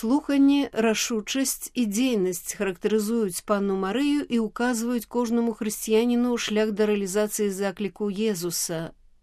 Слуханне, рашучасць і дзейнасць характарызуюць панну Марыю і указваюць кожнаму хрысціяніну шлях да рэалізацыі закліку Езуса,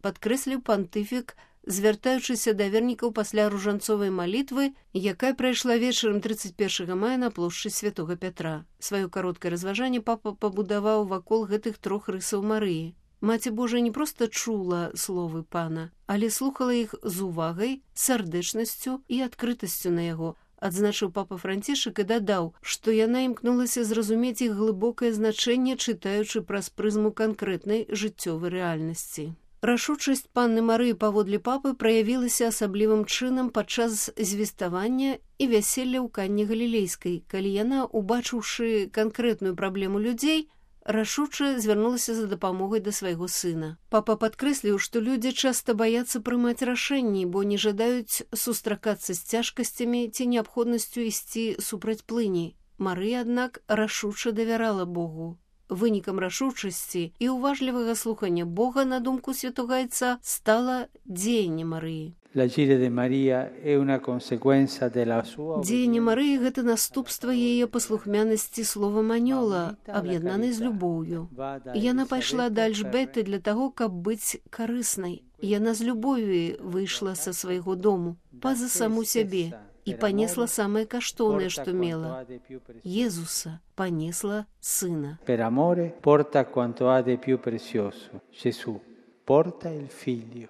падкрэсліў пантыфік, звяртаючыся да вернікаў пасля ружанцовай малітвы, якая прайшла вечарам 31 мая на плошчы Святога Пятра. Сваё кароткае разважанне папа пабудаваў вакол гэтых трох рысаў Марыі. Маці Божая не проста чула словы пана, але слухала іх з увагай, сардэчнасцю і адкрытасцю на яго, адзначыў папа Францішак і дадаў, што яна імкнулася зразумець іх глыбокае значэнне, чытаючы праз прызму канкрэтнай жыццёвай рэальнасці. Рашучасць панны Марыі паводле папы праявілася асаблівым чынам падчас звеставання і вяселля ў Канне Галілейскай, калі яна, убачыўшы канкрэтную праблему людзей, рашуча звярнулася за дапамогай да свайго сына. Папа падкрэсліў, што людзі часта баяцца прымаць рашэнні, бо не жадаюць сустракацца з цяжкасцямі ці неабходнасцю ісці супраць плыні. Марыя, аднак, рашуча давярала Богу. Вынікам рашучасці і уважлівага слухання Бога, на думку святога айца, стала дзеянне Марыі. Дзеянне Марыі – гэта наступства яе паслухмянасці словам анёла, аб'яднанай з любоўю. Яна пайшла да Альжбеты для таго, каб быць карыснай. Яна з любові выйшла са свайго дому, па-за саму сябе, і панесла самае каштоўнае, што мела. Езуса, панесла сына. Per amore porta quanto ha di più prezioso. Gesù porta il figlio.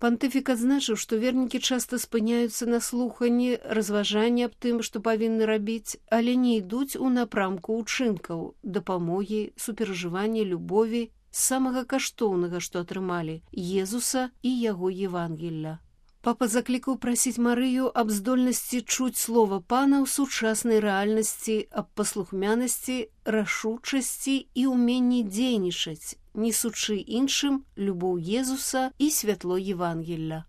Пантыфік адзначыў, што вернікі часта спыняюцца на слуханні, разважанні аб тым, што павінны рабіць, але не ідуць у напрамку ўчынкаў, дапамогі, суперажывання, любові, самага каштоўнага, што атрымалі, Езуса і яго Евангелля. Папа заклікаў прасіць Марыю аб здольнасці чуць слова пана ў сучаснай рэальнасці, аб паслухмянасці, рашучасці і ўменні дзейнічаць, несучы іншым любоў Езуса і святло Евангелля.